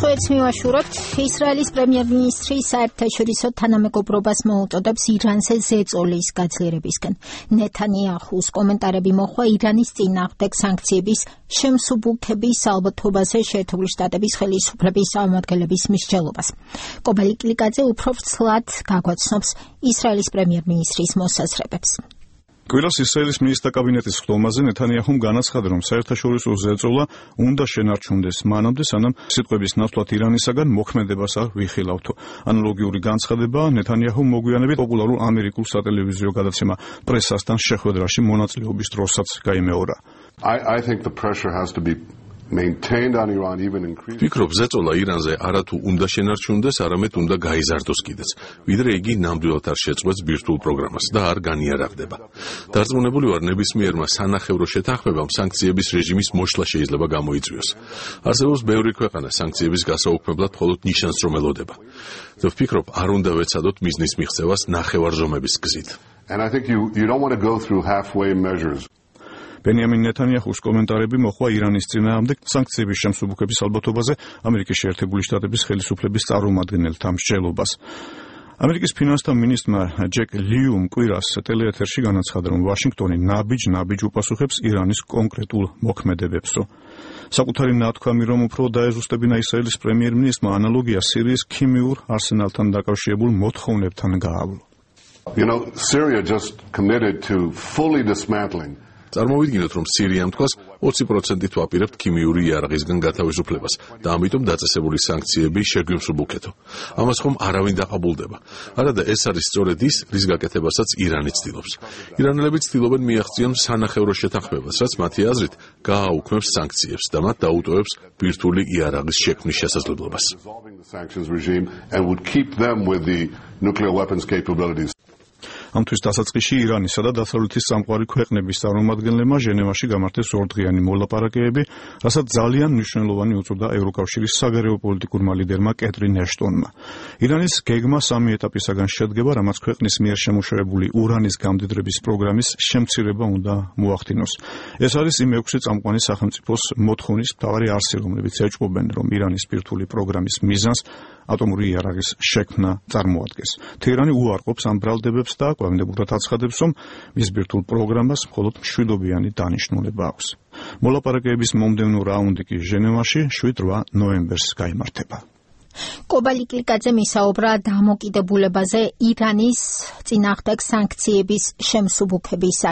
სხვაებს მივაშურებთ. ისრაელის პრემიერ-მინისტრი საერთაშორისო თანამეგობრობას მოუწოდებს ირანზე ზეწოლის გაძლიერებისკენ. ნეთანიაჰუს კომენტარები მოხვა ირანის წინააღმდეგ სანქციების შემსუბუქების ალბათობაზე შეერთებული შტატების ხელისუფლების წარმომადგენლების მსჯელობას. კობალი კლიკაძე უფრო ვრცლად გაგვაცნობს ისრაელის პრემიერ-მინისტრის მოსაზრებებს. Კვირას ისრაელის მინისტრთა კაბინეტის ხდომაზე ნეთანიაჰუმ განაცხადა, რომ საერთაშორისო ზეწოლა უნდა შენარჩუნდეს მანამდე, სანამ სიტყვების ნაცვლად ირანისაგან მოქმედებას არ ვიხილავთო. ანალოგიური განცხადება ნეთანიაჰუმ მოგვიანებით პოპულარულ ამერიკულ სატელევიზიო გადაცემა პრესასთან შეხვედრაში მონაწილეობის დროსაც გაიმეორა. I think the pressure has to be maintained on Iran, even increased. Ვფიქრობ, ზეწოლა ირანზე არათუ უნდა შენარჩუნდეს, არამედ უნდა გაიზარდოს კიდეც, ვიდრე იგი ნამდვილად არ შეწყვეტს ბირთვულ პროგრამას და არ განიარაღდება. დარწმუნებული ვარ, ნებისმიერმა სანახევრო შეთანხმებამ სანქციების რეჟიმის მოშლა შეიძლება გამოიწვიოს. არსებობს ბევრი ქვეყანა სანქციების გასაუქმებლად მხოლოდ ნიშანს რომ ელოდება. და ვფიქრობ, არ უნდა ვეცადოთ მიზნის მიღწევას ნახევარჟომების გზით. And I think you don't want to go through halfway measures. ბენიამინ ნეთანიაჰუს კომენტარები მოხვა ირანის წინააღმდეგ სანქციების შემსუბუქების ალბათობაზე ამერიკის შეერთებული შტატების ხელისუფლების წარმომადგენელთა მსჯელობას. ამერიკის ფინანსთა მინისტრმა ჯეკ ლიუმ კვირას ტელეეთერში განაცხადა, რომ ვაშინგტონი ნაბიჯ უპასუხებს ირანის კონკრეტულ მოქმედებებსო. საკუთარი ნათქვამი, რომ უფრო დაეზუსტებინა ისრაელის პრემიერ-მინისტრმა ანალოგია სირიის ქიმიურ არსენალთან დაკავშირებულ მოთხოვნებთან გაავლო. Syria just committed to fully dismantling. წარმოვიდგინოთ, რომ სირიამ თქვას 20%-ით ვაპირებთ ქიმიური იარაღისგან გათავისუფლებას და ამიტომ დაწესებული სანქციები შეგვიმსუბუქეთო. ამას ხომ არავინ დაყაბულდება. არადა ეს არის სწორედ ის, რის გაკეთებასაც ირანი ცდილობს. ირანელები ცდილობენ მიაღწიონ სანახევრო შეთანხმებას, რაც მათი აზრით გააუქმებს სანქციებს და მათ დაუტოვებს ბირთვული იარაღის შექმნის შესაძლებლობას. ამთვის დასაწყისში ირანისა და დასავლეთის სამყარო ქვეყნების წარმომადგენლებმა ჟენევაში გამართეს ორდღიანი მოლაპარაკებები, რასაც ძალიან მნიშვნელოვანი უწოდა ევროკავშირის საგარეო პოლიტიკურმა ლიდერმა კეტრინ ეშტონმა. ირანის გეგმა 3 ეტაპისაგან შედგება, რამაც ქვეყნის მიერ შემუშავებული ურანის გამდიდრების პროგრამის შემცირება უნდა მოახდინოს. ეს არის იმ 6 წამყვანი სახელმწიფოს მოთხოვნის მთავარი არსი, რომლებიც ეჭვობენ, რომ ირანის ბირთვული პროგრამის მიზანს ატომური იარაღის შექმნა წარმოადგენს. თეირანი უარყოფს ამ ბრალდებებს და კვებინებურად აცხადებს, რომ მის ბირთვულ პროგრამას მხოლოდ მშვიდობიანი დანიშნულება აქვს. მოლაპარაკებების მომდევნო რაუნდი კი ჟენევაში 7-8 ნოემბერს გაიმართება. კობალი კლიკაძე მისაუბრა დამოკიდებულებაზე ირანის წინააღმდეგ სანქციების შემსუბუქების